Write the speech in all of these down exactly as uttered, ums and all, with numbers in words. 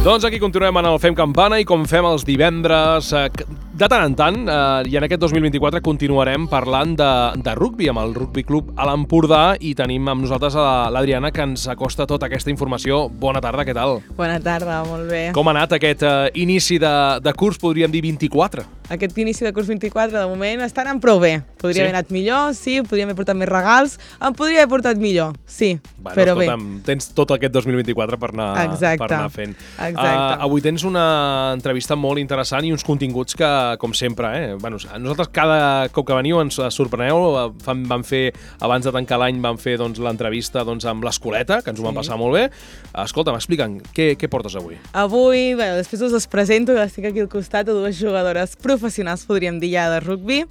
Doncs aquí continuem en el Fem Campana i com fem els divendres, eh, de tant en tant, eh, i en aquest dos mil vint-i-quatre continuarem parlant de, de rugbi amb el Rugby Club a l'Empordà i tenim amb nosaltres a l'Adriana que ens acosta tota aquesta informació. Bona tarda, què tal? Bona tarda, molt bé. Com ha anat aquest eh, inici de, de curs, podríem dir vint-i-quatre? Aquest inici de curs vint-i-quatre, de moment, està anant prou bé. Podria sí? haver anat millor, sí, podria haver portat més regals, em podria haver portat millor, sí, bueno, però escolta'm, bé. Tens tot aquest dos mil vint-i-quatre per anar, Exacte. per anar fent. Exacte. Uh, avui tens una entrevista molt interessant i uns continguts que, com sempre, eh? Bueno, nosaltres cada cop que veniu ens sorpreneu. Fan, van fer, abans de tancar l'any, van fer doncs, l'entrevista doncs, amb l'Escoleta, que ens ho van passar molt bé. Escolta, m'expliquen, què, què portes avui? Avui, bé, després us les presento, que estic aquí al costat de dues jugadores professionals, podríem dir ja, de rugbi.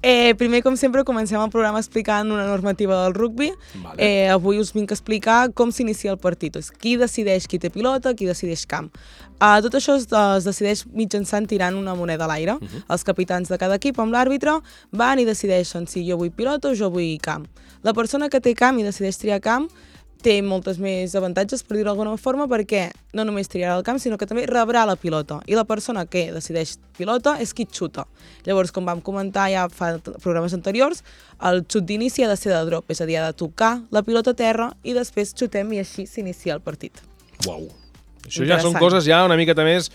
Eh, primer, com sempre, comencem el programa explicant una normativa del rugbi. Vale. Eh, avui us vinc a explicar com s'inicia el partit. Qui decideix qui té pilota, qui decideix camp. Uh, tot això es, es decideix mitjançant tirant una moneda a l'aire. Uh-huh. Els capitans de cada equip amb l'àrbitre van i decideixen si jo vull pilota o jo vull camp. La persona que té camp i decideix triar camp té moltes més avantatges, per dir-ho d'alguna forma, perquè no només triarà el camp, sinó que també rebrà la pilota. I la persona que decideix pilota és qui xuta. Llavors, com vam comentar ja fa programes anteriors, el xut d'inici ha de ser de drop, és a dir, ha de tocar la pilota a terra i després xutem i així s'inicia el partit. Uau! Això ja són coses ja una miqueta més,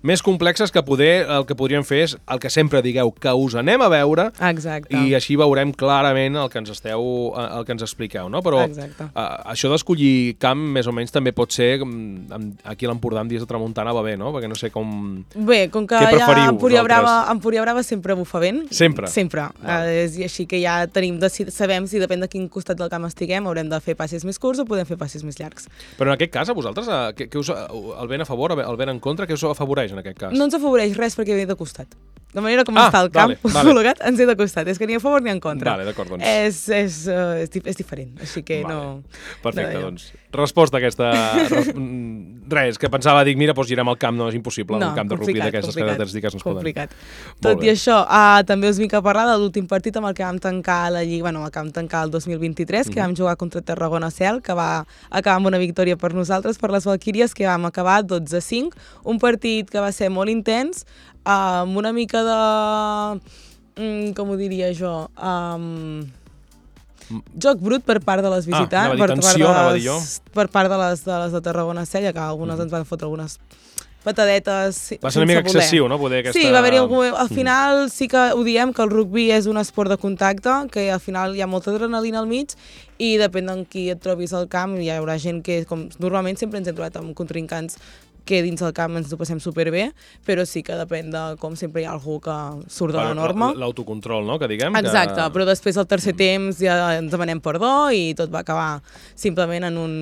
més complexes que poder, el que podríem fer és el que sempre digueu, que us anem a veure. Exacte. I així veurem clarament el que ens esteu, el que ens expliqueu, no? Però uh, això d'escollir camp més o menys també pot ser, aquí a l'Empordà en dies de tramuntana va bé, no? Perquè no sé com... Bé, com que allà a Empúria Brava, Empúria Brava sempre bufa vent. Sempre? Sempre. Uh, és, I així que ja tenim, sabem si depèn de quin costat del camp estiguem, haurem de fer passes més curts o podem fer passes més llargs. Però en aquest cas, a vosaltres, uh, que, que us... el vent a favor, el vent en contra, què us afavoreix en aquest cas? No ens afavoreix res perquè ve de costat. De manera com ah, està el camp vale, vale. col·locat, ens ve de costat. És que ni a favor ni en contra. Vale, d'acord, doncs. És, és, uh, és, és diferent, així que vale. no... Perfecte, no, doncs. Resposta a aquesta... Res... Res, que pensava, dic, mira, doncs girem al camp, no és impossible, no, un camp de rugby d'aquestes característiques no es poden. Complicat. Tot i això, uh, també us vinc a parlar de l'últim partit amb el que vam tancar la Lliga, bueno, el que vam tancar el dos mil vint-i-tres, mm-hmm. que vam jugar contra Tarragona Cel, que va acabar amb una victòria per nosaltres, per les Valquíries, que vam acabar dotze a cinc, un partit que va ser molt intens, uh, amb una mica de... Mm, com ho diria jo? Um, joc brut per part de les visitants, ah, per, tensió, part de les, per part de les de, les de Tarragona Cel, que algunes mm. ens van fotre algunes patadetes. Va ser una mica excessiu, no? Poder aquesta... Sí, va haver-hi algun... Al final mm. sí que ho diem, que el rugbi és un esport de contacte, que al final hi ha molta adrenalina al mig i depèn de qui et trobis al camp, hi haurà gent que, com normalment sempre ens hem trobat amb contrincants que dins del camp ens ho passem superbé, però sí que depèn de com sempre hi ha algú que surt de la norma. L'autocontrol, no?, que diguem. Exacte, que... però després al tercer temps ja ens demanem perdó i tot va acabar simplement en un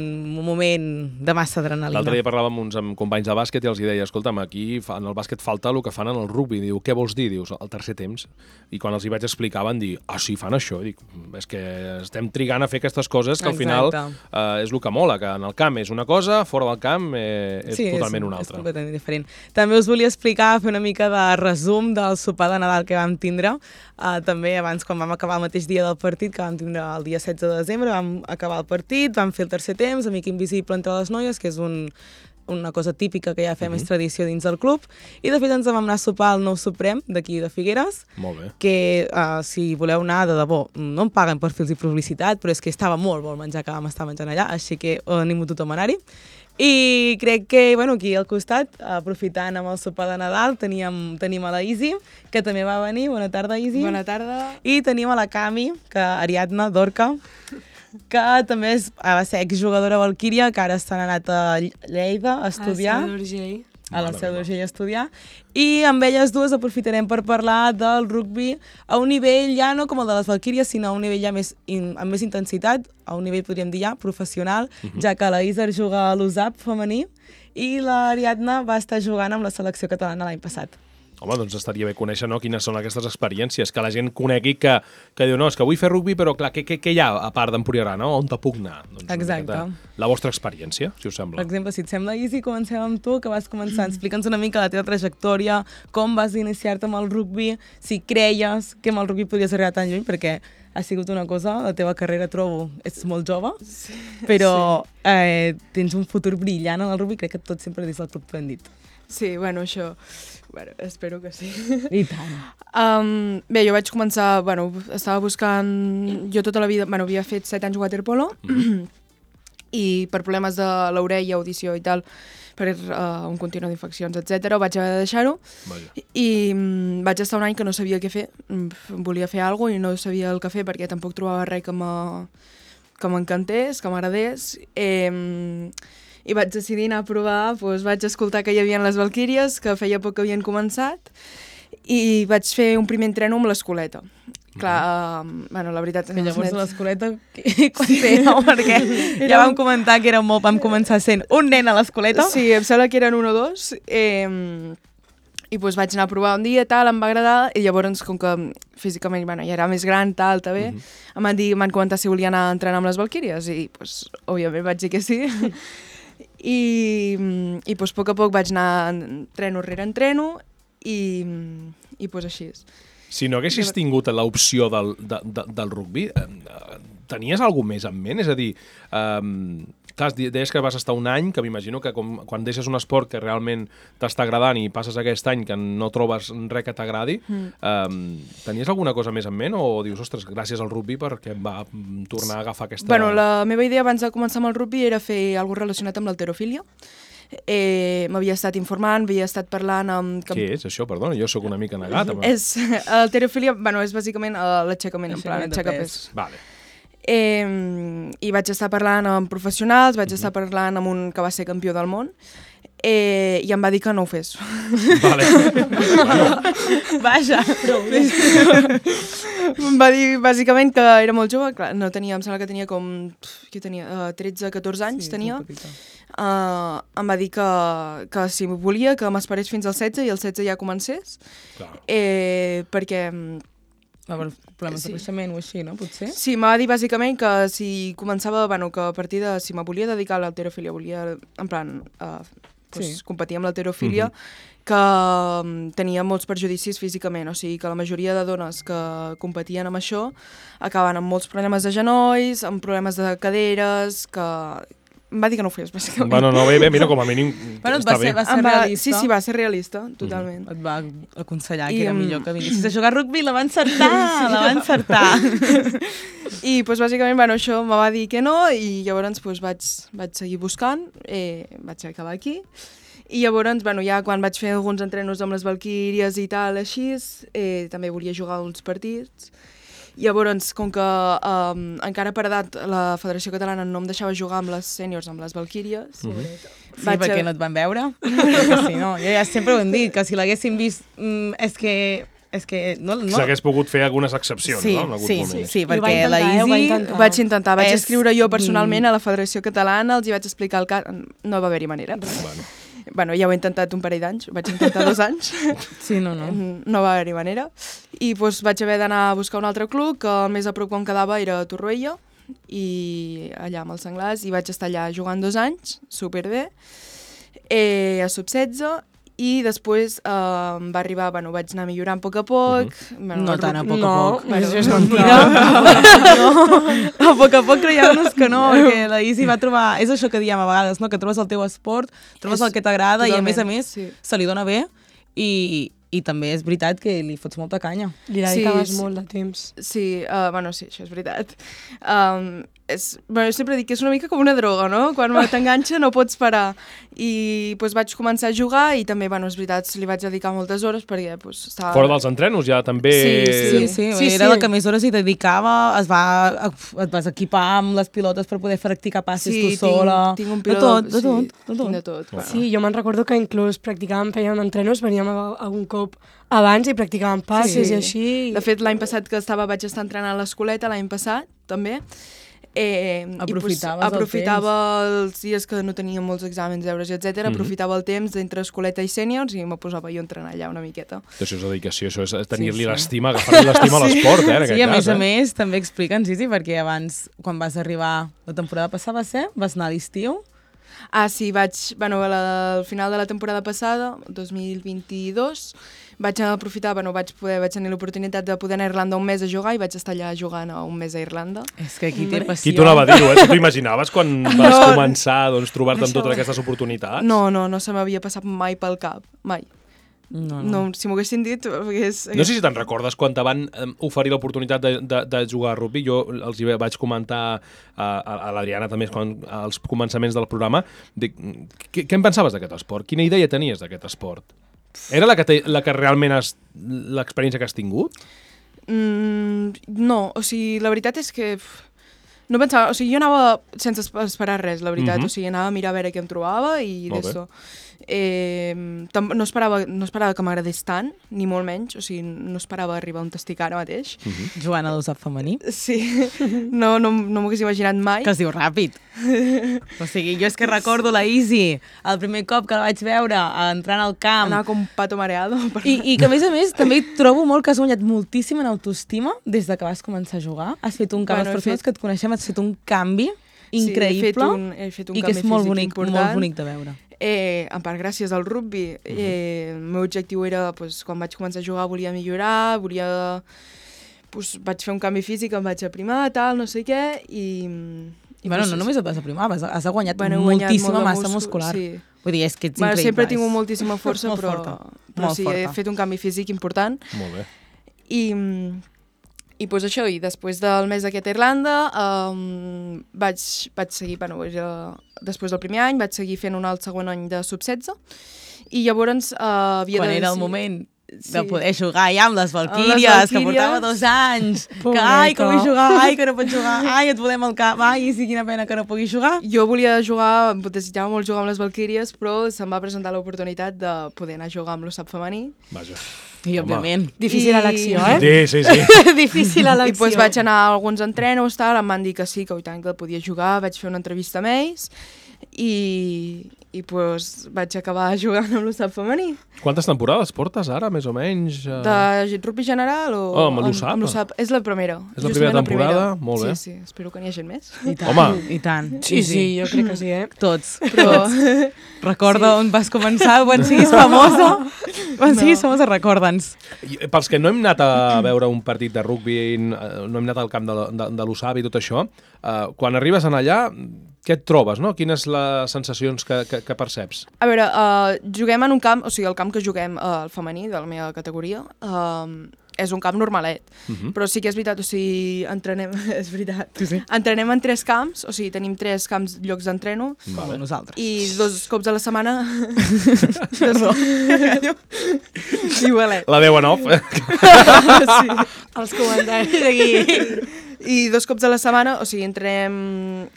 moment de massa adrenalina. L'altre dia parlàvem amb uns amb companys de bàsquet i els deia, escolta'm, aquí en el bàsquet falta el que fan en el rugbi. Diu, què vols dir? Dius, el tercer temps. I quan els hi vaig explicar van dir, ah, sí, fan això. Dic, és que estem trigant a fer aquestes coses que al final eh, és el que mola, que en el camp és una cosa, fora del camp eh, és sí, totalment una altra. És completament diferent. També us volia explicar, fer una mica de resum del sopar de Nadal que vam tindre. Uh, també abans, quan vam acabar el mateix dia del partit, que vam tindre el dia setze de desembre, vam acabar el partit, vam fer el tercer temps, Amic Invisible entre les noies, que és un, una cosa típica que ja fem, uh-huh. és tradició dins del club, i de fet ens vam anar a sopar al Nou Suprem d'aquí de Figueres. Molt bé. Que uh, si voleu anar de debò, no em paguen per fer-los publicitat, però és que estava molt bon menjar que vam estar menjant allà, així que uh, animo tothom a anar-hi. I crec que, bueno, aquí al costat, aprofitant amb el sopar de Nadal, teníem, tenim a la Isi, que també va venir. Bona tarda, Isi. Bona tarda. I tenim a la Cami, que Ariadna Dorca, que també és, va ser exjugadora Valquíria, que ara s'han anat a Lleida a estudiar. A Seu d'Urgell. A la Seu d'Urgell a estudiar. I amb elles dues aprofitarem per parlar del rugbi a un nivell ja no com el de les Valquíries, sinó a un nivell ja més in, amb més intensitat, a un nivell, podríem dir ja, professional, uh-huh. ja que la Isar juga a l'U S A P femení i l'Ariadna va estar jugant amb la selecció catalana l'any passat. Home, doncs estaria bé conèixer, no?, quines són aquestes experiències, que la gent conegui que, que diu, no, és que vull fer rugby, però clar, què, què, què hi ha a part d'Empuriarà, no? On te puc anar? Doncs exacte. Miqueta, la vostra experiència, si us sembla. Per exemple, si et sembla, Isi, comencem amb tu, que vas començar. Explica'ns una mica la teva trajectòria, com vas iniciar-te amb el rugby, si creies que amb el rugby podies arribar tan lluny, perquè ha sigut una cosa, la teva carrera, trobo, ets molt jove, sí, però sí. eh, tens un futur brillant en el rugby, crec que tot sempre des del club t'ho hem dit. Sí, bueno, això... Bueno, espero que sí. I tant. Um, bé, jo vaig començar, bueno, estava buscant... Jo tota la vida, bueno, havia fet set anys waterpolo mm. i per problemes de l'orella, audició i tal, per uh, un continu d'infeccions, etcètera, vaig haver de deixar-ho. I um, vaig estar un any que no sabia què fer. Volia fer alguna cosa i no sabia el que fer perquè tampoc trobava res que m'encantés, que m'agradés. Eh, I vaig decidir anar a provar, doncs vaig escoltar que hi havia les Valquíries, que feia poc que havien començat, i vaig fer un primer entreno amb l'escoleta. Mm-hmm. Clar, uh, bueno, la veritat... Que llavors net... l'escoleta, quan éreu? Perquè era... ja vam comentar que era molt, vam començar sent un nen a l'escoleta. Sí, em sembla que eren un o dos. Eh, I doncs vaig anar a provar un dia, tal, em va agradar, i llavors, com que físicament bueno, ja era més gran, tal, també, mm-hmm. em van dir, m'han comentat si volia anar a entrenar amb les Valquíries, i doncs, òbviament, vaig dir que sí. I, i doncs, a poc a poc vaig anar entreno rere entreno i, i doncs així. Si no haguessis tingut l'opció del, de, de, del rugby, eh, tenies alguna més en ment? És a dir, eh, clar, deies que vas estar un any, que m'imagino que com, quan deixes un esport que realment t'està agradant i passes aquest any que no trobes res que t'agradi, mm. eh, tenies alguna cosa més en ment o dius, ostres, gràcies al rugby perquè em va tornar a agafar aquesta... Bueno, la meva idea abans de començar amb el rugby era fer alguna cosa relacionat amb l'halterofília. Eh, m'havia estat informant, havia estat parlant amb... Què és això? Perdona, jo sóc una mica negat. Amb... És, l'halterofília, bueno, és bàsicament l'aixecament, en plan, aixecar pes. Vale. Eh, I vaig estar parlant amb professionals, vaig mm-hmm. estar parlant amb un que va ser campió del món, eh, i em va dir que no ho fes. Vale. Vaja. Em va dir, bàsicament, que era molt jove, clar, no tenia, em sembla que tenia com, què tenia, uh, tretze catorze anys, sí, tenia. Uh, em va dir que, que si volia, que m'esperés fins al setze i el setze ja comencés, eh, perquè... Va haver problemes sí. de creixement o així, no? Potser? Sí, m'ha dit bàsicament que si començava, bueno, que a partir de, si me volia dedicar a l'halterofília, volia, en plan, uh, pues, sí. competir amb l'halterofília, uh-huh. que um, tenia molts perjudicis físicament, o sigui que la majoria de dones que competien amb això acaben amb molts problemes de genolls, amb problemes de caderes, que... Em va dir que no ho fes, bàsicament. Bueno, no, bé, bé, mira, com a mínim bueno, està va ser, bé. Va ser va, realista. sí, sí, va ser realista, totalment. Mm. Et va aconsellar I, que era millor que vinissis a jugar a rugby, la va encertar, la va encertar. I, doncs, bàsicament, bueno, això me va dir que no, i llavors doncs, vaig, vaig seguir buscant, eh, vaig acabar aquí. I llavors, bueno, ja quan vaig fer alguns entrenos amb les Valquíries i tal, així, eh, també volia jugar uns partits. Llavors, com que um, encara per edat la Federació Catalana no em deixava jugar amb les sèniors, amb les Valquíries... Mm-hmm. Sí, vaig perquè a... no et van veure? Sí, no, jo ja sempre ho hem dit, que si l'haguessin vist, mm, és que... És que no, no. S'hagués pogut fer algunes excepcions, sí, no? En sí, sí, sí, perquè intentar, la Isi... Ho intentar. Vaig intentar, vaig és... escriure jo personalment a la Federació Catalana, els hi vaig explicar el cas... No va haver-hi manera. Bueno. Bueno, ja ho he intentat un parell d'anys, vaig intentar dos anys. Sí, no, no. No va haver-hi manera. I doncs vaig haver d'anar a buscar un altre club, que el més a prop quan quedava era a Torroella, i allà amb els Senglars, i vaig estar allà jugant dos anys, superbé, eh, a sub setze, i després eh, va arribar, bueno, vaig anar millorant a poc a poc. Uh-huh. Bueno, no tant a poc no, a poc. Bueno, és mentida. No, no. A poc a poc creiem-nos que no, perquè la Isi va trobar... És això que diem a vegades, no? Que trobes el teu esport, trobes és, el que t'agrada i a més a més sí. se li dona bé i, i també és veritat que li fots molta canya. Li dedicaves sí, molt de temps. Sí, uh, bueno, sí, això és veritat. Um, és, bueno, jo sempre dic que és una mica com una droga, no? Quan t'enganxa no pots parar. I doncs, vaig començar a jugar i també, bueno, és veritat, li vaig dedicar moltes hores perquè doncs, estava... Fora dels entrenos ja també... Sí, sí, sí, sí, era sí. la que més hores hi dedicava, es va, et vas equipar amb les pilotes per poder practicar passes sí, tu sola... Sí, tinc un pilot... De tot, de sí, tot, de tot. De tot bueno. Sí, jo me'n recordo que inclús practicàvem, fèiem entrenos, veníem algun cop abans i practicàvem passes sí. i així... De fet, l'any passat que estava, vaig estar entrenant a l'escoleta, l'any passat, també, Eh, Aprofitaves i, pues, aprofitava el els dies que no tenia molts exàmens, deures, etcètera. Mm-hmm. Aprofitava el temps d'entre escoleta i sèniors i me posava jo a entrenar allà una miqueta. Això és dedicació, això és tenir-li sí, sí. l'estima, agafar-li l'estima sí. a l'esport, eh, en sí, aquest a cas. més eh? a més, també explica'ns, Isi, perquè abans, quan vas arribar la temporada passada, va ser? Vas anar a l'estiu? Ah, sí, vaig, bueno, al final de la temporada passada, dos mil vint-i-dos, vaig aprofitar, bueno, vaig, poder, vaig tenir l'oportunitat de poder anar a Irlanda un mes a jugar i vaig estar allà jugant un mes a Irlanda. És que aquí té passió. Qui t'ho anava a dir-ho, eh? Tu t'ho imaginaves quan vas no, començar doncs, trobar-te amb totes aquestes oportunitats? No, no, no se m'havia passat mai pel cap, mai. No, no. no si m'ho haguessin dit... Hagués, hagués... No sé si te'n recordes quan te van um, oferir l'oportunitat de, de, de jugar a rugby. Jo els hi vaig comentar a, a, a l'Adriana també quan, als començaments del programa. Dic, què, què en pensaves d'aquest esport? Quina idea tenies d'aquest esport? Era la que, te, la que realment has... l'experiència que has tingut? Mm, no, o sigui, la veritat és que... No pensava, o sigui, jo anava sense esperar res, la veritat. Mm-hmm. O sigui, anava a mirar a veure què em trobava i d'això. Eh, no, esperava, no esperava que m'agradés tant, ni molt menys, o sigui, no esperava arribar on estic ara mateix. Mm-hmm. Jugant a l'U S A P femení? Sí, no, no, no m'ho hagués imaginat mai. Que es diu ràpid. O sigui, jo és que recordo la Isi, el primer cop que la vaig veure entrant al camp. Anava com un pato mareado. I, I que a més a més també trobo molt que has guanyat moltíssim en autoestima des de que vas començar a jugar. Has fet un canvi, bueno, les persones fet... que et coneixem, has fet un canvi increïble. Sí, he fet un, he fet un i canvi que és molt físic bonic, important. molt bonic de veure. Eh, en part gràcies al rugby. Uh-huh. eh, el meu objectiu era, pues, quan vaig començar a jugar, volia millorar, volia... Pues, vaig fer un canvi físic, em vaig aprimar, tal, no sé què, i... i bueno, pues, no només et vas aprimar, has, has guanyat bueno, moltíssima molt massa múscul, muscular. Sí. Vull dir, és que ets bueno, increïble. Sempre he tingut moltíssima força, molt però, forta. però molt sí, forta. he fet un canvi físic important. Molt bé. I... I pues això, i després del mes d'aquest a Irlanda um, vaig, vaig seguir, bueno, era, després del primer any vaig seguir fent un alt segon any de sub setze i llavors uh, havia Quan de... era el moment sí. de poder jugar ja amb les Valquíries, que portava dos anys, que ai, que vull jugar, ai, que no pots jugar, ai, et volem al cap, ai, sí, quina pena que no puguis jugar. Jo volia jugar, desitjava molt jugar amb les Valquíries, però se'm va presentar l'oportunitat de poder anar a jugar amb l'U S A P femení. Vaja. I, òbviament. Difícil I... elecció, eh? Sí, sí, sí. Difícil elecció. I pues vaig anar a alguns entrenos, tal, em van dir que sí, que, tant, que podia jugar, vaig fer una entrevista amb ells i, i pues vaig acabar jugant amb l'U S A P femení. Quantes temporades portes ara, més o menys? Uh... De rugby general o... Oh, amb l'U S A P? Amb l'U S A P. És la primera. És la primera temporada? La primera. Molt bé. Sí, sí, espero que n'hi hagi més. I tant, home. i tant. Sí, sí, jo crec que sí, eh? Tots. Però... Recorda sí. on vas començar, quan siguis famosa. Quan no. siguis famosa, recorda'ns. Pels que no hem anat a veure un partit de rugby, no hem anat al camp de, de, de l'U S A P i tot això, uh, quan arribes en allà, què et trobes, no? Quines les sensacions que, que, que perceps? A veure, uh, juguem en un camp, o sigui, el camp que juguem uh, el femení, de la meva categoria, uh, és un camp normalet, uh-huh. però sí que és veritat, o sigui, entrenem, és veritat, sí, sí. entrenem en tres camps, o sigui, tenim tres camps, llocs d'entreno, vale. Nosaltres. I dos cops a la setmana... Perdó. Igualet. La deu en off. Sí. Els comentaris aquí. I dos cops a la setmana, o sigui, entrem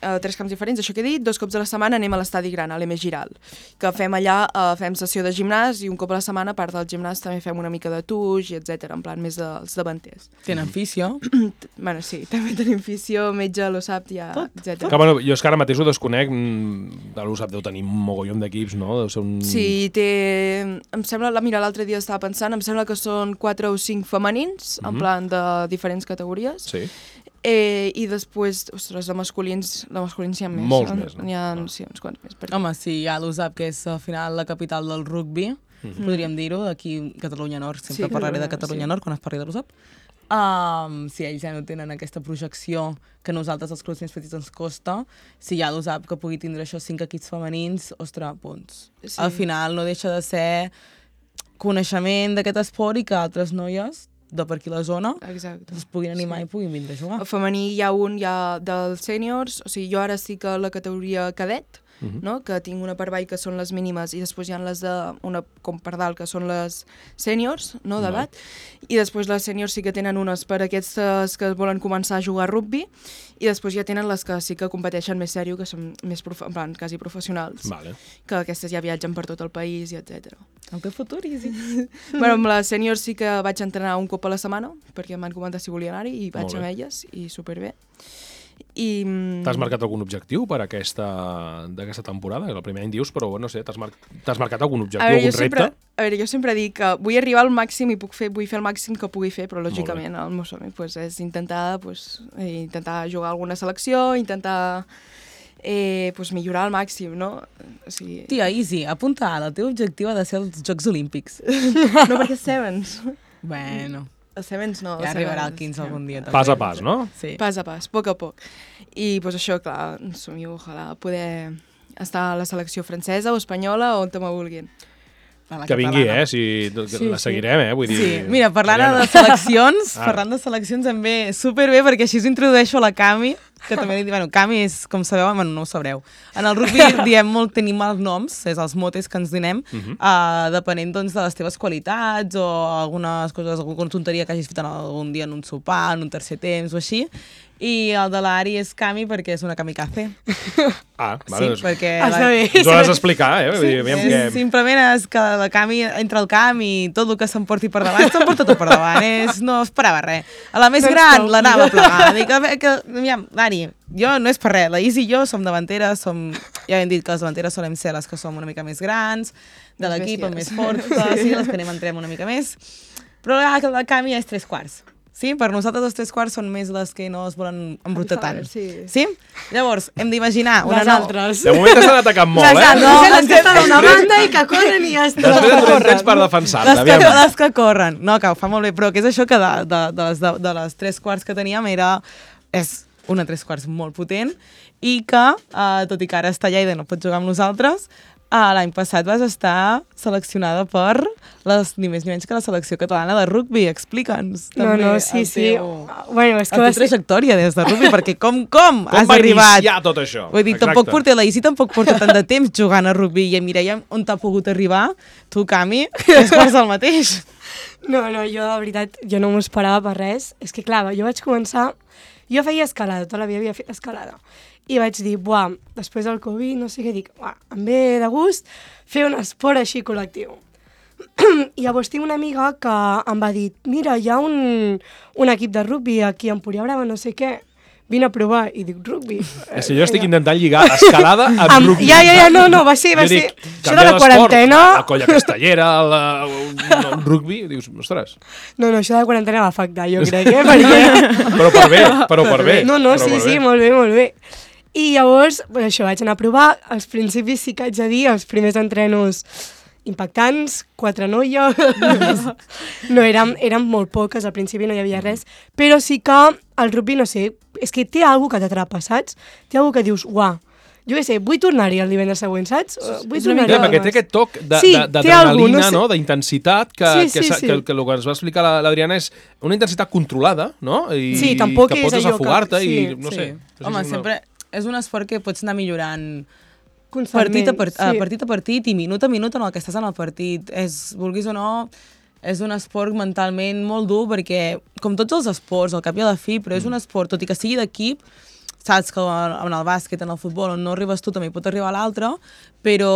a tres camps diferents, això que he dit, dos cops a la setmana anem a l'estadi gran, a l'M Giral, que fem allà, uh, fem sessió de gimnàs i un cop a la setmana, a part del gimnàs, també fem una mica de tuix, etcètera, en plan més dels davanters. Tenen fisio? Bueno, sí, també tenim fisio, metge, l'U S A P, ja, etcètera. Que, bueno, jo és que ara mateix ho desconec, l'U S A P deu tenir un mogollon d'equips, no? Deu ser un... Sí, té... Em sembla, mira, l'altre dia estava pensant, em sembla que són quatre o cinc femenins, mm-hmm. en plan de diferents categories. Sí. Eh, I després, ostres, de masculins, de masculins hi ha més. Molts més, no? N'hi ha, ah. sí, uns quants més. Perquè... Home, sí, hi ha l'U S A P, que és al final la capital del rugby, mm-hmm. podríem dir-ho, d'aquí Catalunya Nord, sempre sí, parlaré de Catalunya sí. Nord quan es parli de l'U S A P. Um, si ells ja no tenen aquesta projecció que nosaltres, els clubs més petits, ens costa, si hi ha l'U S A P que pugui tindre això cinc equips femenins, ostres, punts. Sí. Al final no deixa de ser coneixement d'aquest esport i que altres noies de per aquí la zona, exacte. Es puguin animar sí. i puguin vindre a jugar. El femení hi ha un ja dels sèniors, o sigui, jo ara estic a la categoria cadet, uh-huh. no? Que tinc una per avall que són les mínimes i després hi ha les de una com per dalt que són les sèniors, no, d'edat, no. I després les sèniors sí que tenen unes per aquestes que volen començar a jugar a rugby i després ja tenen les que sí que competeixen més sèrio, que són més profe- en plan, quasi professionals, vale. Que aquestes ja viatgen per tot el país i etcètera. El que futur, sí. Bueno, amb les sèniors sí que vaig entrenar un cop a la setmana, perquè em van comentar si volia anar-hi, i vaig amb elles, i superbé. I... T'has marcat algun objectiu per aquesta d'aquesta temporada? El primer any dius, però no sé, t'has mar marcat algun objectiu, veure, algun sempre, repte? A veure, jo sempre dic que vull arribar al màxim i puc fer, vull fer el màxim que pugui fer, però lògicament el meu somni pues, és intentar, pues, intentar jugar a alguna selecció, intentar eh, pues, millorar al màxim, no? O sigui... Tia, easy, apunta ara, el teu objectiu ha de ser els Jocs Olímpics. No, perquè és Sevens. Bueno... Els Sevens no. Ja arribarà el quinze algun dia. Pas a pas, no? Sí. Pas a pas, a poc a poc. I pues, això, clar, somio, ojalà poder estar a la selecció francesa o espanyola o on te me vulguin. Que vingui, eh? Si, sí, la seguirem, eh? Vull dir... Sí, mira, parlant de seleccions, ah. parlant de seleccions em ve superbé perquè així us introdueixo la Cami, que també li dic, bueno, Cami és, com sabeu, bueno, no ho sabreu. En el rugby diem molt, tenim els noms, és els motes que ens donem, uh -huh. uh, depenent doncs, de les teves qualitats o algunes coses, alguna tonteria que hagis fet algun dia en un sopar, en un tercer temps o així. I el de l'Ari és Cami perquè és una kamikaze. Ah, vale. Sí, perquè... Està bé. Ens ho has d'explicar, eh? Sí, és, que... Simplement és que la Cami entra al camp i tot el que s'emporti per davant, s'emporta tot per davant. És, no esperava res. A la més gran l'anava a plegar. Dic, a veure, que, mira, Ari, jo no és per res. La Isi i jo som davanteres, som... ja hem dit que les davanteres solem ser les que som una mica més grans, de l'equip, més fortes, sí, les que anem entrem una mica més. Però la, la Cami és tres quarts. Sí? Per nosaltres els tres quarts són més les que no es volen embrutar tant. Sí. Sí? Llavors, hem d'imaginar una les nou... altres. De moment t'estan atacant molt, les eh? altres, no, les que estan a una banda i que corren i ja està. Després et donem temps per defensar-te, Les que, aviam. les que corren. No, que ho fa molt bé, però que és això que de, de, de, les, de, de les tres quarts que teníem era... És una tres quarts molt potent i que, eh, tot i que ara està allà i no pot jugar amb nosaltres, Uh, l'any passat vas estar seleccionada per les, ni més ni menys que la selecció catalana de rugby. Explica'ns No, també no, sí, el sí. teu, Bueno, és que la va teva ser... trajectòria des de rugby, perquè com, com, Com has va arribat? iniciar tot això? Vull dir, Exacte. tampoc porta, la Isi tampoc porta tant de temps jugant a rugby i a Mireia on t'ha pogut arribar, tu, Cami, és quasi el mateix. No, no, jo de veritat, jo no m'ho esperava per res. És que clar, jo vaig començar... Jo feia escalada, tota la vida havia fet escalada. I vaig dir, buah, després del Covid, no sé què, dic, buah, em ve de gust fer un esport així col·lectiu. I llavors tinc una amiga que em va dir, mira, hi ha un, un equip de rugby aquí a Empúria Brava, no sé què, vine a provar. I dic, rugby? És que jo estic intentant lligar escalada amb Am, rugby. ja, ja, ja, no, no, va ser, va Jo ser... dic, Això de canviar la l'esport, quarantena... La colla castellera, la, el rugby, dius, ostres. No, no, això de la quarantena va afectar, jo crec, eh, perquè... Però per bé, però per bé. No, no, però sí, per sí, bé. molt bé, molt bé. I llavors, pues això, vaig anar a provar. Als principis sí que haig de dir, els primers entrenos impactants, quatre noies... no, érem, érem molt poques, al principi no hi havia res, però sí que el rugby, no sé, és que té alguna que t'atrapa, saps? Té alguna que dius, uah, jo què sé, vull tornar-hi el divendres següent, saps? Vull tornar-hi. Ja, perquè té aquest toc Sí, d'adrenalina, té algú, no no? sé. D'intensitat, que, Sí, sí, que, sí. que, que el que ens va explicar la- l'Adriana és una intensitat controlada, no? I Sí, tampoc que és pots allò que- desafogar-te i, sí, no sí. sé. no sé Home, si és una- sempre és un esport que pots anar millorant Constantment, partit a, part, a sí. partit a partit i minut a minut en el que estàs en el partit. És, vulguis o no, és un esport mentalment molt dur perquè, com tots els esports, al cap i a la fi, però és un esport, tot i que sigui d'equip, saps que en el bàsquet, en el futbol, on no arribes tu també hi pot arribar l'altre, però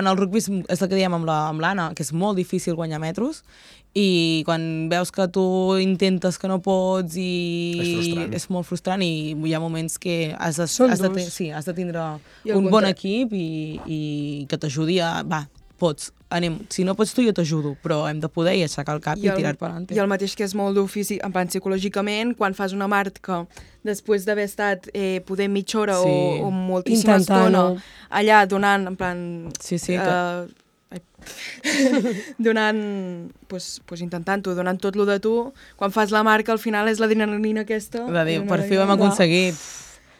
en el rugby és, és el que diem amb la- amb l'Anna, que és molt difícil guanyar metros, i quan veus que tu intentes que no pots i És frustrant. és molt frustrant i hi ha moments que has de, Són has de, durs. te- sí, has de tindre I al un bon contra- equip i, i que t'ajudi a... Va, pots, anem. Si no pots tu, jo t'ajudo, però hem de poder i aixecar el cap i, el, tirar per endavant. I el mateix que és molt dur físic, en plan psicològicament, quan fas una marca després d'haver estat eh, poder mitja hora Sí. o, o moltíssima Intentant-ho. estona allà donant, en plan... Sí, sí, eh, ai, donant, pues, pues intentant-ho, donant tot lo de tu, quan fas la marca al final és l'adrenalina aquesta. de dir, i per mare fi ho hem meva. aconseguit.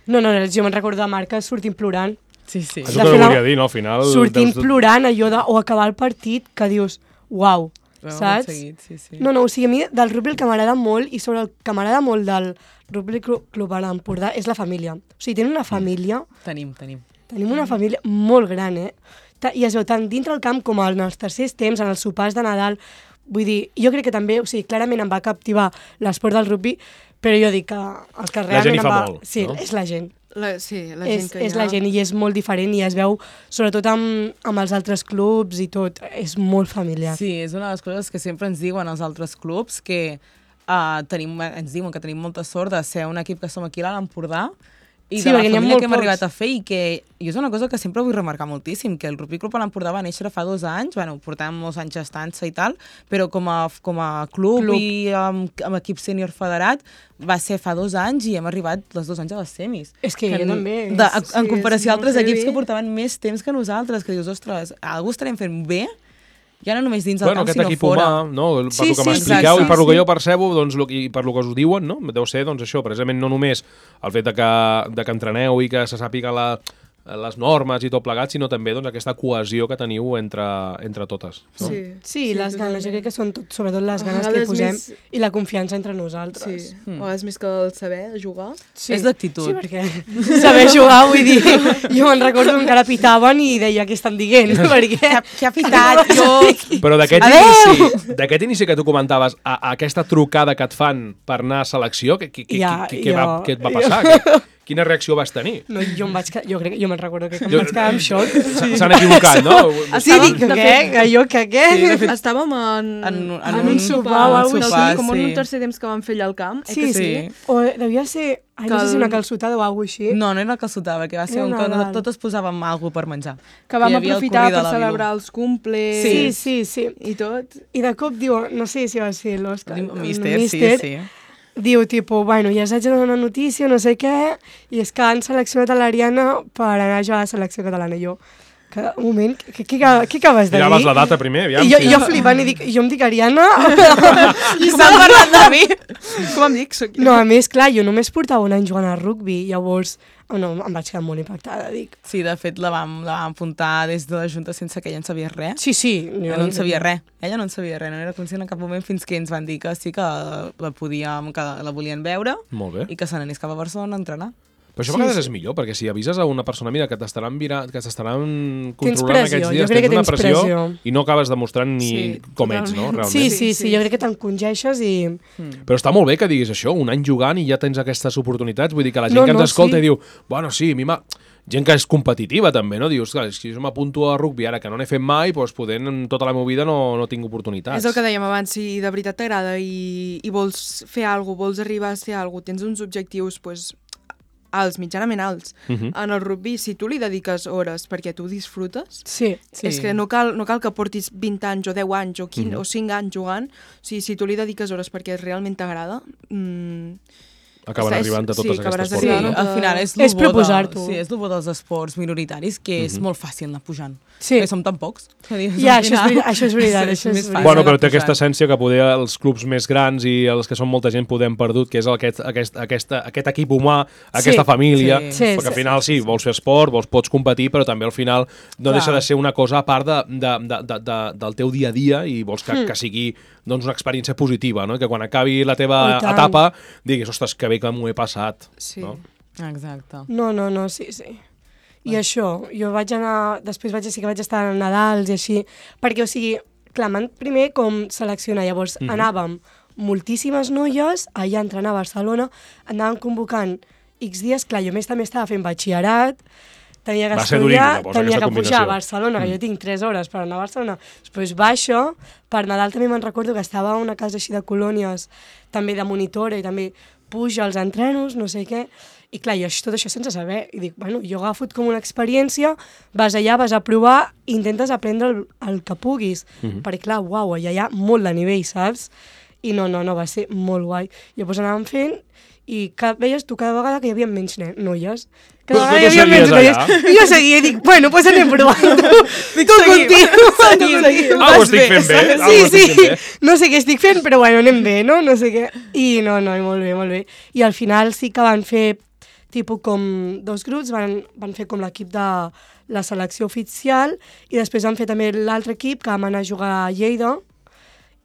No, no, no, jo me'n recordo de marca sortint plorant. Sí, sí. És De el que fer la- volia dir, no? Al final... Sortint deus de- plorant allò de... O acabar el partit que dius, uau, Ho hem saps? aconseguit, sí, sí. No, no, o sigui, a mi del rugby el que m'agrada molt i sobre el que m'agrada molt del rugby Clu- club a l'Empordà és la família. O sigui, tenen una família, Tenim, tenim. tenim una família molt gran, eh? Ta- I es veu tant dintre el camp com en els tercers temps, en els sopars de Nadal. Vull dir, jo crec que també, o sigui, clarament em va captivar l'esport del rugby, però jo dic que el que La realment gent hi em fa va... molt, sí, no? és la gent. La, sí, la és, gent que hi ha. és la gent i és molt diferent i es veu, sobretot amb, amb els altres clubs i tot, és molt familiar. Sí, és una de les coses que sempre ens diuen els altres clubs, que uh, tenim, ens diuen que tenim molta sort de ser un equip que som aquí a l'Empordà i Sí, de la perquè n'hi ha família molt que hem pocs. arribat a fer i que i és una cosa que sempre vull remarcar moltíssim, que el Rugby Club a l'Empordà va néixer fa dos anys, bueno, portàvem molts anys gestant-se i tal, però com a, com a club, Club. i amb, amb equip sènior federat va ser fa dos anys i hem arribat els dos anys a les semis. És que jo en, també, De, en, sí, en comparació és a altres molt equips heavy. que portaven més temps que nosaltres, que dius, ostres, algú estarem fent bé? Ja no només dins el Bueno, camp, aquest sinó equip fora. humà, no? per Sí, lo que sí, m'expliqueu exacte. i per lo que Sí. jo percebo, doncs, lo, i per lo que us diuen, no? Deu ser doncs, això, precisament no només el fet de que, de que entreneu i que se sàpiga la, les normes i tot plegat, sinó també doncs, aquesta cohesió que teniu entre, entre totes. No? Sí, Sí, les ganes, jo crec que són tot, sobretot les A ganes que hi vegades posem més- i la confiança entre Sí, nosaltres. a vegades més que el saber jugar. Sí. És l'actitud. Sí, perquè saber jugar, vull dir, jo me'n recordo que encara pitaven i deia què estan dient, perquè... Què ha pitat? Jo... Però d'aquest Adéu! inici, d'aquest inici que tu comentaves, a, a aquesta trucada que et fan per anar a selecció, què, què, què, Ja, què, què, va, jo- què et va passar? Què, quina reacció vas tenir? No, jo em vaig quedar, jo crec, jo me'n recordo que em Jo- vaig quedar en xoc. S- S'han equivocat, no? Sí, dic, de què? fet- Que jo, que què? Sí, de fet, Estàvem en, En- en en un un sopar sopar, o o alguna sopar, cosa com en així. un tercer temps que vam fer allà al camp. eh, Sí, que sí. sí. O devia ser, ai, no sé si Cal- una calçotada o alguna cosa així. No, no era el que sotava, que va ser Era un una que dalt. totes posàvem alguna per menjar. Que vam hi havia el aprofitar curri de per la Vilú. celebrar els cumples Sí, sí, sí. i tot. I de cop diu, no sé si va ser l'Òscar, El el míster, sí, míster, sí. diu, tipo, bueno, ja s'haig de donar una notícia, no sé què, i és que han seleccionat a l'Ariana per anar a jugar a la selecció catalana. I jo, que, un moment, què, què, què acabes de dir? Miraves la data primer, aviam. I jo, si- jo flipant i dic, jo em dic Ariana. I estan parlant de mi. Com em dic? Soc... No, a més, clar, jo només portava un any jugant a rugby, llavors oh, no, em vaig quedar molt impactada, dic. Sí, de fet, la vam, la vam apuntar des de la Junta sense que ella en sabia res. Sí, sí. Ella no en sabia res. Ella no en sabia res, no era conscient en cap moment fins que ens van dir que sí que la podíem, que la volien veure Molt bé. i que se n'anés cap a Barcelona a entrenar. Però això a Sí, vegades sí. és millor, perquè si avises a una persona, mira, que t'estaran vira- que t'estaran Tens controlant pressió, aquests jo dies, crec que tens una tens pressió, pressió. i no acabes demostrant ni Sí, com ets, no? totalment. Realment. Sí, sí, Sí, sí, sí. jo crec que t'encongeixes i... Però està molt bé que diguis això, un any jugant i ja tens aquestes oportunitats, vull dir que la gent No, que no, ens escolta sí. i diu, bueno, sí, a mi m'ha... Gent que és competitiva també, no? Dius, clar, si jo m'apunto a rugby ara que no n'he fet mai, doncs poder en tota la meva vida no, no tinc oportunitats. És el que dèiem abans, si de veritat t'agrada i, i vols fer alguna cosa, vols arribar a ser alguna cosa, tens uns objectius pues, alts, mitjanament alts. Uh -huh. En el rugby, si tu li dediques hores perquè tu disfrutes, Sí. Sí. és que no cal, no cal que portis vint anys o deu anys o, quinze, Mhm. o cinc anys jugant, o sigui, si tu li dediques hores perquè realment t'agrada, mmm, Acaben Està- arribant a sí, totes acabaràs aquestes Sí, arribant portes. a- al final és, És lo bo de- proposar-t'ho. Sí, és el bo dels esports minoritaris, que és molt fàcil anar pujant. Sí. Que som tan pocs. Que dius, Ja, al això és final, veritat, això és veritat, això és més veritat. fàcil Bueno, anar però té pujant. aquesta essència que poder els clubs més grans i els que són molta gent podem perdut, que és aquest, aquest, aquesta, aquest equip humà, aquesta Sí, família, sí. Sí, perquè sí, al final sí, vols fer esport, vols, pots competir, però també al final no Clar. deixa de ser una cosa a part de, de, de, de, de, del teu dia a dia i vols que, Mm. que sigui doncs, una experiència positiva, no? I que quan acabi la teva Oh, i tant. etapa diguis, ostres, que bé que m'ho he passat. sí. No? Exacte. No, no, no, sí, sí. I això, jo vaig anar, després vaig, sí que vaig estar a Nadals i així, perquè, o sigui, clar, m'han primer com seleccionar, llavors Mhm. anàvem moltíssimes noies allà a entrenar a Barcelona, anàvem convocant X dies, clar, jo a més també estava fent batxillerat, tenia que Va ser durín, estudiar, llavors, tenia aquesta que pujar a combinació. Barcelona, que Mm. jo tinc tres hores per anar a Barcelona, després baixo, per Nadal també me'n recordo que estava a una casa així de colònies, també de monitora, i també puja als entrenos, no sé què, i clar, jo tot això sense saber, i dic, bueno, jo he agafat com una experiència, vas allà, vas a provar, i intentes aprendre el, el que puguis, Mhm. perquè clar, uau, allà hi ha molt de nivell, saps? I no, no, no, va ser molt guai. Llavors anàvem fent, i cada, veies tu cada vegada que hi havia menys ne- noies. Cada Tu- vegada tu hi havia seguies menys noies. allà? I jo seguia i dic, bueno, doncs pues anem provant. Tu, tu continua. Ah, ho Vas estic bé, fent bé? saps? Ah, ho Sí, estic sí, fent bé. no sé què estic fent, però bueno, anem bé, no? No sé què. I no, no, molt bé, molt bé. I al final sí que van fer tipus com dos grups, van, van fer com l'equip de la selecció oficial i després van fer també l'altre equip que vam anar a jugar a Lleida.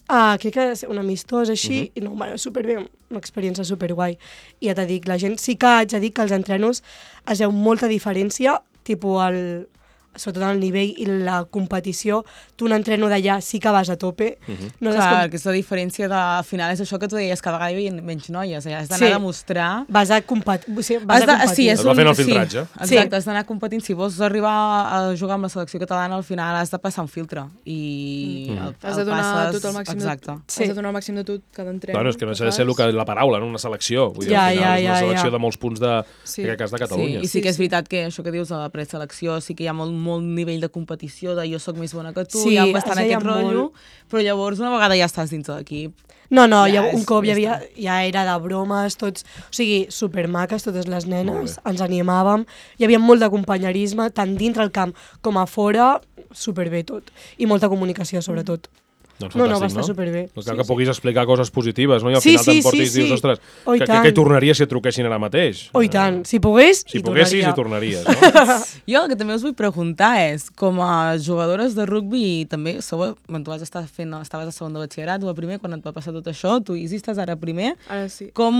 Uh, crec que és un amistós així, uh -huh. i no, bueno, superbé, una experiència superguai. I ja t'he dit, la gent sí que haig de dir que als entrenos es veu molta diferència, tipus el, sobretot el nivell i la competició, tu un entreno d'allà sí que vas a tope. Uh -huh. no Clar, com... que és la diferència de, al final és això que tu deies, cada vegada hi havia menys noies, eh? has d'anar sí. a demostrar... Vas a, compet... o sigui, vas de... a competir. Sí, és es va un... fent el filtratge. Sí, exacte, sí. has d'anar competint. Si vols arribar a jugar amb la selecció catalana, al final has de passar un filtre. I mm. el, has de donar passes... tot el màxim exacte. de... Sí. Has de donar el màxim de tot cada entreno. Bueno, és que no s'ha de ser el que, la paraula, no? Una selecció. Vull dir, ja, al final, ja, és una ja, selecció ja. de molts punts de, sí. en aquest cas de Catalunya. Sí, i sí que és veritat que això que dius a la preselecció sí que hi ha molt, molt nivell de competició, de jo sóc més bona que tu, sí, hi ha bastant aquest molt... rotllo, però llavors una vegada ja estàs dins de l'equip. No, no, ja, ja un és, cop ja, ja, havia, ja era de bromes, tots, o sigui, supermaques, totes les nenes, ens animàvem, hi havia molt de companyerisme, tant dintre el camp com a fora, superbé tot, i molta comunicació sobretot. Doncs no, no, va no? estar superbé. Doncs cal sí, que puguis sí. explicar coses positives, no? I al sí, final sí, t'emportis sí, sí. i dius, ostres, oh, que, que, que hi tornaria si et truquessin ara mateix? Oh, i tant. Si pogués, si hi poguessis, tornaria. hi tornaries, no? Jo el que també us vull preguntar és, com a jugadores de rugbi, també sou, quan tu vas estar fent, estaves a segon de batxillerat, o a primer, quan et va passar tot això, tu, Isi, estàs ara a primer. Ara sí. Com,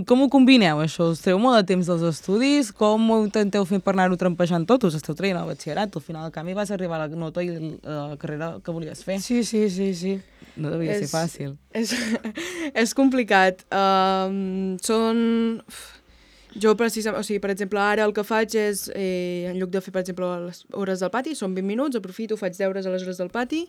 com ho combineu, això? Us treu molt de temps dels estudis? Com ho intenteu fer per anar-ho trampejant tot? Us esteu traient al batxillerat? Al final del canvi vas arribar a la nota i la carrera que volies fer. Sí, sí, sí, sí. No devia és, ser fàcil. És, és complicat. Um, són... Jo, precisament, o sigui, per exemple, ara el que faig és, eh, en lloc de fer, per exemple, les hores del pati, són vint minuts, aprofito, faig deures a les hores del pati,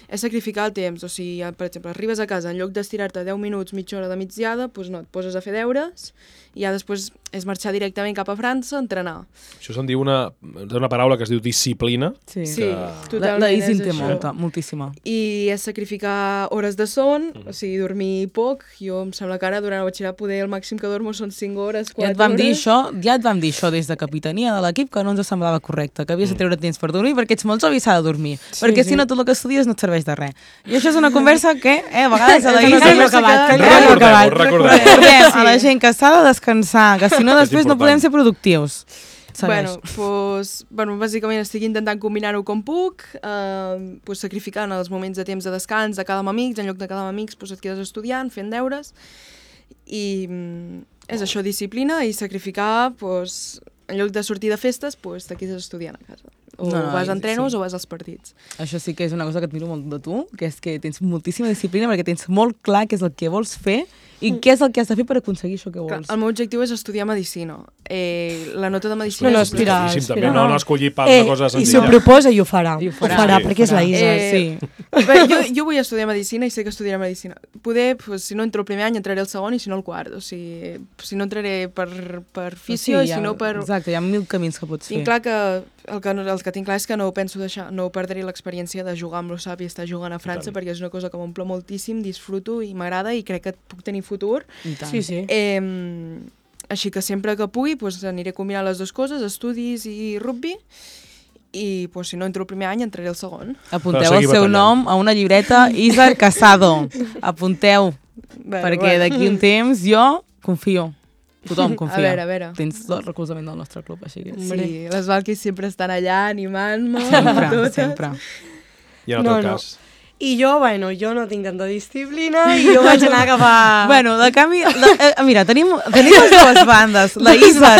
és sacrificar el temps. O sigui, per exemple, arribes a casa, en lloc d'estirar-te deu minuts, mitja hora de migdiada, doncs no, et poses a fer deures i ja després és marxar directament cap a França a entrenar. Això se'n diu una, una paraula que es diu disciplina. Sí, sí que... totalment. La Isi en té molta, moltíssima. I és sacrificar hores de son, mm. o sigui, dormir poc. Jo em sembla que ara durant el batxillerat poder el màxim que dormo són cinc hores, quatre hores. Ja et vam dir això, ja et vam dir això des de capitania de l'equip, que no ens semblava correcte, que havies de treure temps per dormir, perquè ets molt jove i s'ha de dormir. Sí, perquè sí. si no tot el que estudies no et serveix de res. I això és una conversa que, eh, a vegades a la Isi... No acabat, que no acabat. Recordem, recordem a la gent que s'ha de descansar, que si no després no podem ser productius. Segueix. Bueno, pues, bueno, bàsicament estic intentant combinar-ho com puc, eh, pues, sacrificant els moments de temps de descans de quedar amb amics, en lloc de quedar amb amics pues, et quedes estudiant, fent deures, i mm, és això, disciplina, i sacrificar, pues, en lloc de sortir de festes, pues, te quedes estudiant a casa. O no, no, vas a entrenos sí. o vas als partits. Això sí que és una cosa que et miro molt de tu, que és que tens moltíssima disciplina perquè tens molt clar què és el que vols fer i què és el que has de fer per aconseguir això que vols. Clar, el meu objectiu és estudiar medicina. Eh, la nota de medicina... No, no, és aspirar, aspirar. No, no escollir pas eh, una cosa senzilla. I si ho proposa i ho farà. I ho farà, ho farà sí, perquè és la Isa. Eh, sí. Bé, jo, jo vull estudiar medicina i sé que estudiaré medicina. Poder, pues, si no entro el primer any, entraré el segon i si no el quart. O sigui, si no entraré per, per fisio sí, i si no per... Exacte, hi ha mil camins que pots tinc fer. clar que el, que el que tinc clar és que no ho penso deixar, no perdré l'experiència de jugar amb l'O S A P i estar jugant a França, perquè és una cosa que m'omple moltíssim, disfruto i m'agrada i crec que puc tenir futur. Sí, sí. Eh, així que sempre que pugui pues, aniré combinant les dues coses, estudis i rugby, i pues, si no entro el primer any entraré el segon. Apunteu el seu nom a una llibreta, Isa Casado. Apunteu, bueno, perquè bueno. d'aquí un temps jo confio. Tothom confia. A veure, a veure. Tens tot el recolzament del nostre club, així que... Sí, les Valquis sempre estan allà animant-me. Sempre, totes. sempre. I en el no, teu no. cas? I jo, bueno, jo no tinc tanta disciplina i jo vaig anar cap a... Bueno, de canvi... De, eh, mira, tenim, tenim les dues bandes. La Isa,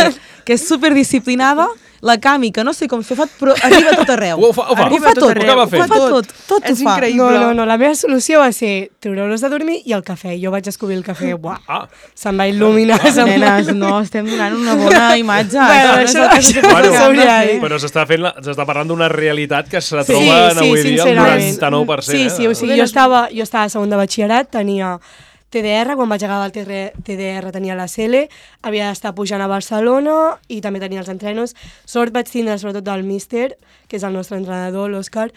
que és superdisciplinada, la Cami, que no sé com s'ho fa, però arriba a tot arreu. Ho fa, ho fa. Ho fa tot, ho fa ho fa tot, tot ho És fa. increïble. No, no, no, la meva solució va ser treure-los de dormir i el cafè. Jo vaig descobrir el cafè, buah, Ah. se'm va il·luminar. Ah, se'm va... nenes, no, estem donant una bona imatge. Bueno, això, això- no és el que això s'hauria s'hauria de de fer. dir. Però s'està fent la, s'està parlant d'una realitat que se Sí, troba en sí, avui dia el sincerament. noranta-nou per cent. Sí, sí, o sigui, jo estava, jo estava a segon de batxillerat, tenia T D R, quan vaig acabar el T D R tenia la C L, havia d'estar pujant a Barcelona i també tenia els entrenos. Sort vaig tindre sobretot del míster, que és el nostre entrenador, l'Òscar,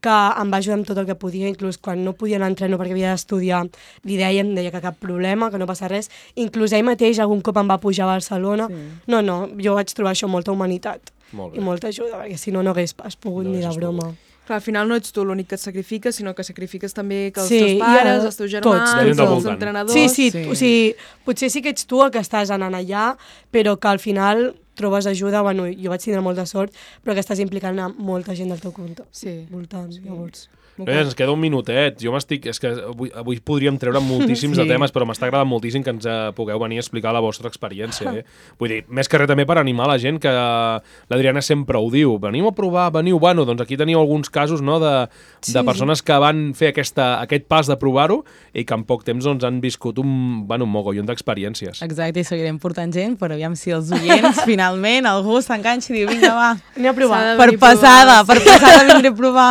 que em va ajudar amb tot el que podia, inclús quan no podia anar a entreno perquè havia d'estudiar, li deia, em deia que cap problema, que no passa res. Inclús ell mateix algun cop em va pujar a Barcelona. Sí. No, no, jo vaig trobar això molta humanitat Molt bé. i molta ajuda, perquè si no, no hagués pas pogut No ni de haguessis broma. Clar, al final no ets tu l'únic que et sacrifiques, sinó que sacrifiques també que els Sí, teus i pares, ara els teus tots, germans, tots. els voltant. entrenadors... Sí, sí, Sí. o sigui, potser sí que ets tu el que estàs anant allà, però que al final trobes ajuda, bueno, jo vaig tindre molta sort, però que estàs implicant a molta gent del teu compte. Sí. Voltant, sí. Llavors... Bé, ens queda un minutet. Jo m'estic... És que avui, avui podríem treure moltíssims sí. de temes, però m'està agradant moltíssim que ens uh, pugueu venir a explicar la vostra experiència. Eh? Vull dir, més que res també per animar la gent, que l'Adriana sempre ho diu. Veniu a provar, veniu... Bueno, doncs aquí teniu alguns casos, no?, de, sí, de persones que van fer aquesta, aquest pas de provar-ho i que en poc temps doncs, han viscut un, bueno, un mogollon d'experiències. Exacte, i seguirem portant gent, però aviam si els oients, finalment, algú s'enganxa i diu, vinga, va, anem a provar. Per passada, per passada vindré a provar.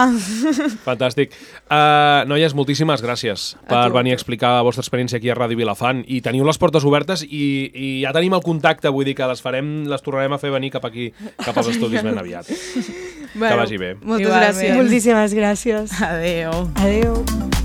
Fantàstic. Uh, noies, moltíssimes gràcies per venir a explicar la vostra experiència aquí a Ràdio Vilafant, i teniu les portes obertes i, i ja tenim el contacte, vull dir que les farem, les tornarem a fer venir cap aquí, cap als estudis ben aviat. Bueno, que vagi bé. Moltes gràcies. Moltíssimes gràcies. Adéu. Adéu.